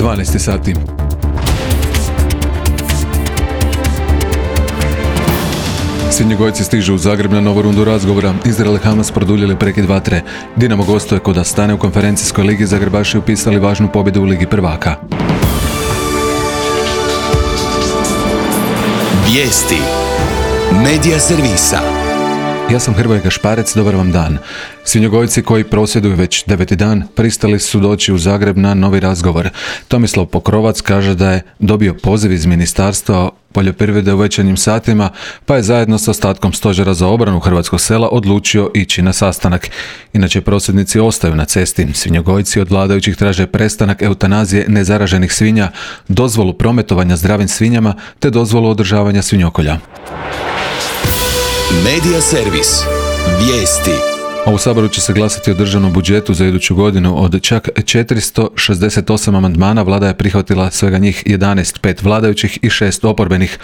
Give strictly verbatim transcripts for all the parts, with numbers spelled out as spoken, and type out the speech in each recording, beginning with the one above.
dvanaest sati. Svinjogojci stižu u Zagreb na novu rundu razgovora. Izrael i Hamas produljili prekid vatre. Dinamo gostuje kod Astane u konferencijskoj ligi. Zagrebaši upisali važnu pobjedu u Ligi prvaka. Vijesti Medija servisa. Ja sam Hrvoje Gašparec, dobar vam dan. Svinjogojci koji prosvjeduju već deveti dan pristali su doći u Zagreb na novi razgovor. Tomislav Pokrovac kaže da je dobio poziv iz Ministarstva poljoprivrede u večernjim satima, pa je zajedno s ostatkom stožera za obranu hrvatskog sela odlučio ići na sastanak. Inače, prosvjednici ostaju na cesti. Svinjogojci od vladajućih traže prestanak eutanazije nezaraženih svinja, dozvolu prometovanja zdravim svinjama te dozvolu održavanja svinjokolja. Medija servis. Vijesti. A u Saboru će se glasati o državnom budžetu za iduću godinu. Od čak četiristo šezdeset osam amandmana vlada je prihvatila svega njih jedanaest, pet vladajućih i šest oporbenih.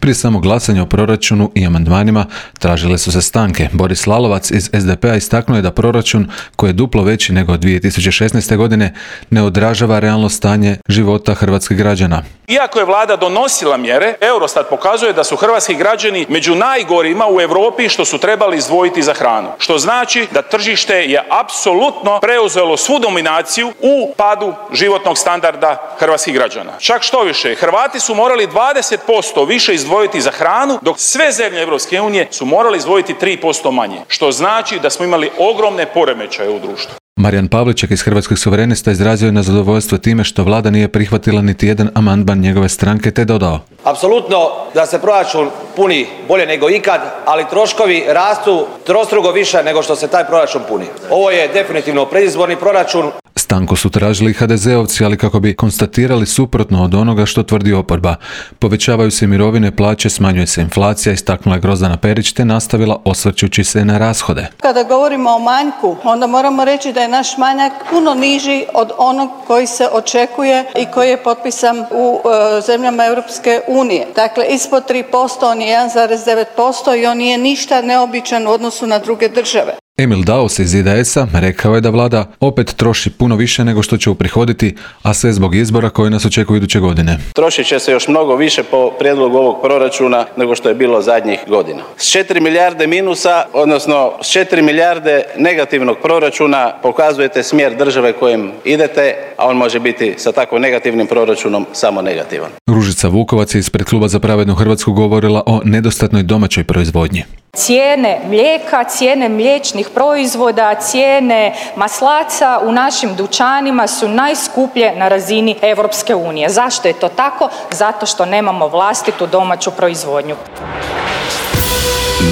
Prije samog glasanja o proračunu i amandmanima tražile su se stanke. Boris Lalovac iz es de pe a istaknuo je da proračun, koji je duplo veći nego dvije tisuće šesnaeste. godine, ne odražava realno stanje života hrvatskih građana. Iako je vlada donosila mjere, Eurostat pokazuje da su hrvatski građani među najgorima u Europi što su trebali izdvojiti za hranu. Što znači da tržište je apsolutno preuzelo svu dominaciju u padu životnog standarda hrvatskih građana. Čak što više, Hrvati su morali dvadeset posto više izdvojiti za hranu, dok sve zemlje Europske unije su morali izdvojiti tri posto manje. Što znači da smo imali ogromne poremećaje u društvu. Marijan Pavliček iz Hrvatskih suverenista izrazio je nezadovoljstvo time što vlada nije prihvatila niti jedan amandman njegove stranke, te dodao: apsolutno da se proračun puni bolje nego ikad, ali troškovi rastu trostruko više nego što se taj proračun puni. Ovo je definitivno predizborni proračun. Stanku su tražili ha de zeovci, ali kako bi konstatirali suprotno od onoga što tvrdi oporba. Povećavaju se mirovine, plaće, smanjuje se inflacija, istaknula je Grozdana Perić, te nastavila osvrćući se na rashode. Kada govorimo o manjku, onda moramo reći da je naš manjak puno niži od onog koji se očekuje i koji je potpisan u e, zemljama Europske unije. Dakle, ispod tri posto, on je jedan zarez devet posto i on nije ništa neobičan u odnosu na druge države. Emil Daus iz i de es a rekao je da vlada opet troši puno više nego što će uprihoditi, a sve zbog izbora koji nas očekuju iduće godine. Trošit će se još mnogo više po prijedlogu ovog proračuna nego što je bilo zadnjih godina. S četiri milijarde minusa, odnosno s četiri milijarde negativnog proračuna pokazujete smjer države kojim idete, a on može biti sa tako negativnim proračunom samo negativan. Ružica Vukovac je ispred Kluba za pravednu Hrvatsku govorila o nedostatnoj domaćoj proizvodnji. Cijene mlijeka, cijene mliječnih proizvoda, cijene maslaca u našim dućanima su najskuplje na razini Europske unije. Zašto je to tako? Zato što nemamo vlastitu domaću proizvodnju.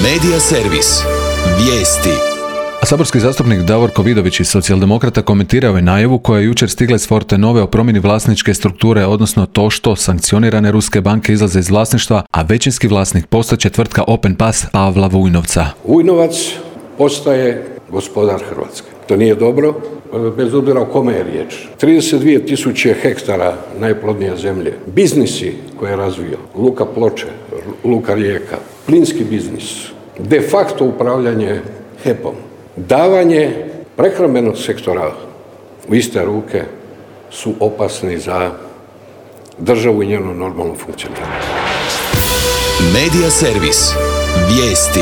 Medija servis. Vijesti. A saborski zastupnik Davorko Vidović iz Socijaldemokrata komentirao je najavu koja je jučer stigla iz Fortenove o promjeni vlasničke strukture, odnosno to što sankcionirane ruske banke izlaze iz vlasništva, a većinski vlasnik postaće tvrtka Open Pass Pavla Vujnovca. Vujnovac postaje gospodar Hrvatske. To nije dobro, bez obzira o kome je riječ. trideset dvije tisuće hektara najplodnije zemlje. Biznisi koje je razvio. Luka Ploče, Luka Rijeka, plinski biznis, de facto upravljanje he pe om. Davanje prehrambenog sektora u iste ruke su opasni za državu i njeno normalno funkcioniranje. Medija servis. Vijesti.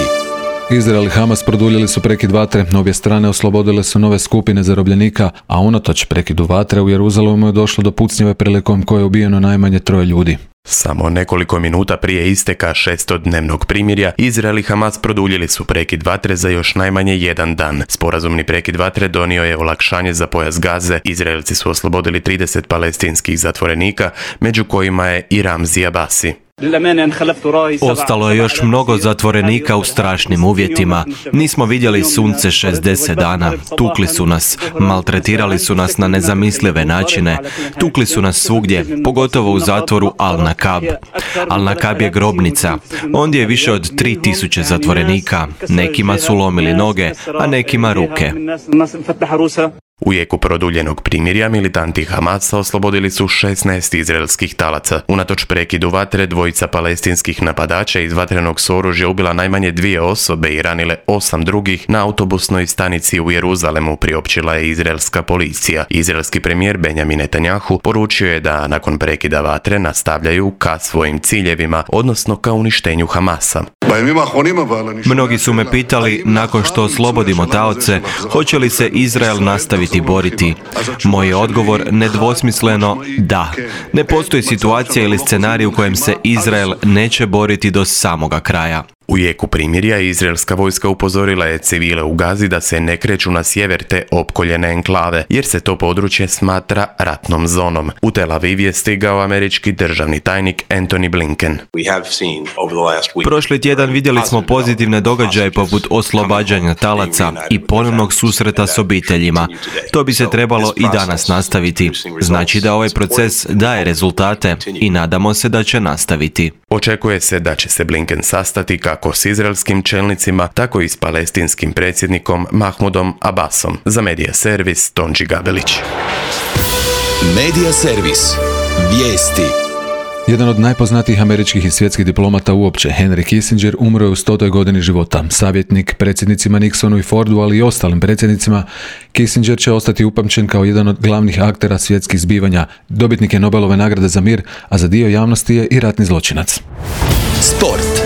Izrael i Hamas produljili su prekid vatre, obje strane oslobodile su nove skupine zarobljenika, a unatoč prekidu vatre u Jeruzalemu je došlo do pucnjave prilikom koje je ubijeno najmanje troje ljudi. Samo nekoliko minuta prije isteka šestodnevnog primirja, Izrael i Hamas produljili su prekid vatre za još najmanje jedan dan. Sporazumni prekid vatre donio je olakšanje za pojas Gaze. Izraelci su oslobodili trideset palestinskih zatvorenika, među kojima je i Ramzi Abasi. Ostalo je još mnogo zatvorenika u strašnim uvjetima. Nismo vidjeli sunce šezdeset dana. Tukli su nas, maltretirali su nas na nezamislive načine. Tukli su nas svugdje, pogotovo u zatvoru Al-Nakab. Al-Nakab je grobnica. Ondje je više od tri tisuće zatvorenika. Nekima su lomili noge, a nekima ruke. U jeku produljenog primirja militanti Hamasa oslobodili su šesnaest izraelskih talaca. Unatoč prekidu vatre, dvojica palestinskih napadača iz vatrenog s oružja ubila najmanje dvije osobe i ranile osam drugih na autobusnoj stanici u Jeruzalemu, priopćila je izraelska policija. Izraelski premijer Benjamin Netanjahu poručio je da nakon prekida vatre nastavljaju ka svojim ciljevima, odnosno ka uništenju Hamasa. Mnogi su me pitali, nakon što oslobodimo taoce, hoće li se Izrael nastaviti boriti? Moj je odgovor nedvosmisleno da. Ne postoji situacija ili scenarij u kojem se Izrael neće boriti do samoga kraja. U jeku primirja izraelska vojska upozorila je civile u Gazi da se ne kreću na sjever te opkoljene enklave, jer se to područje smatra ratnom zonom. U Tel Aviv je stigao američki državni tajnik Antony Blinken. Prošli tjedan vidjeli smo pozitivne događaje poput oslobađanja talaca i ponovnog susreta s obiteljima. To bi se trebalo i danas nastaviti. Znači da ovaj proces daje rezultate i nadamo se da će nastaviti. Očekuje se da će se Blinken sastati kako s izraelskim čelnicima, tako i s palestinskim predsjednikom Mahmudom Abbasom. Za Medija servis Tonči Gabelić. Medija servis. Vijesti. Jedan od najpoznatijih američkih i svjetskih diplomata uopće, Henry Kissinger, umro je u stotoj godini života. Savjetnik predsjednicima Nixonu i Fordu, ali i ostalim predsjednicima, Kissinger će ostati upamćen kao jedan od glavnih aktera svjetskih zbivanja. Dobitnik je Nobelove nagrade za mir, a za dio javnosti je i ratni zločinac. Sport.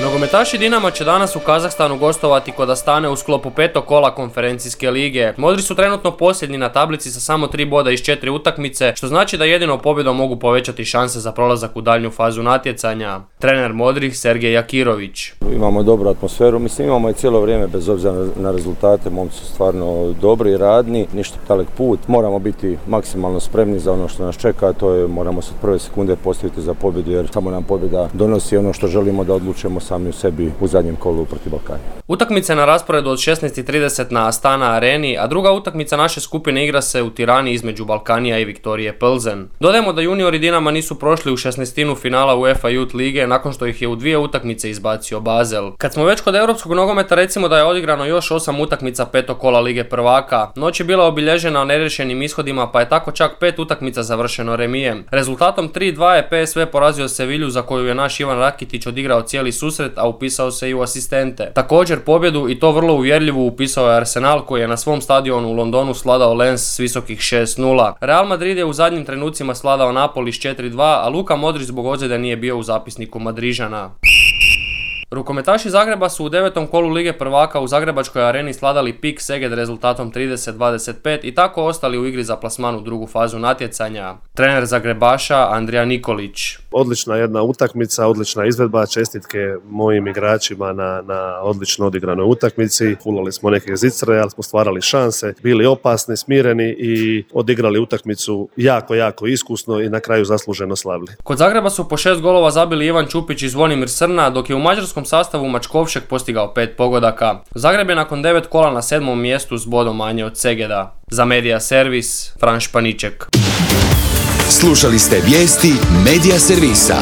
Nogometaši Dinama će danas u Kazahstanu gostovati kod Astane u sklopu petog kola konferencijske lige. Modri su trenutno posljednji na tablici sa samo tri boda iz četiri utakmice, što znači da jedino pobjedom mogu povećati šanse za prolazak u daljnju fazu natjecanja. Trener Modrih Sergej Jakirović. Imamo dobru atmosferu, mislim imamo i cijelo vrijeme bez obzira na rezultate, momci su stvarno dobri i radni, ništa dalek put. Moramo biti maksimalno spremni za ono što nas čeka, to je moramo se od prve sekunde postaviti za pobjedu, jer samo nam pobjeda donosi ono što želimo da odlučujemo sami u sebi u zadnjem kolu protiv Balkana. Utakmica na rasporedu od šesnaest i trideset na Astana areni, a druga utakmica naše skupine igra se u Tirani između Balkanija i Viktorije Plzen. Dodajemo da juniori Dinama nisu prošli u šesnaestinu finala UEFA Youth lige nakon što ih je u dvije utakmice izbacio Basel. Kad smo već kod europskog nogometa, recimo da je odigrano još osam utakmica petog kola Lige prvaka. Noć je bila obilježena neriješenim ishodima, pa je tako čak pet utakmica završeno remijem. Rezultatom tri dva je P S V porazio Sevilju, za koju je naš Ivan Rakitić odigrao cijeli susret, a upisao se i u asistente. Također pobjedu, i to vrlo uvjerljivu, upisao je Arsenal, koji je na svom stadionu u Londonu sladao Lens s visokih šest nula. Real Madrid je u zadnjim trenucima sladao Napoli s četiri dva, a Luka Modrić zbog ozljede nije bio u zapisniku Madrižana. Rukometaši Zagreba su u devetom kolu Lige prvaka u Zagrebačkoj areni sladali Pik Seged rezultatom trideset dvadeset pet i tako ostali u igri za plasman u drugu fazu natjecanja. Trener Zagrebaša Andrija Nikolić. Odlična jedna utakmica, odlična izvedba, čestitke mojim igračima na, na odlično odigranoj utakmici. Fulali smo neke zicre, ali smo stvarali šanse, bili opasni, smireni i odigrali utakmicu jako, jako iskusno i na kraju zasluženo slavili. Kod Zagreba su po šest golova zabili Ivan Čupić i Zvonimir Srna, dok je u mađarskom sastavu Mačkovšek postigao pet pogodaka. Zagreb je nakon devet kola na sedmom mjestu s bodom manje od Segeda. Za Medija servis Fran Španiček. Slušali ste vijesti Medija servisa.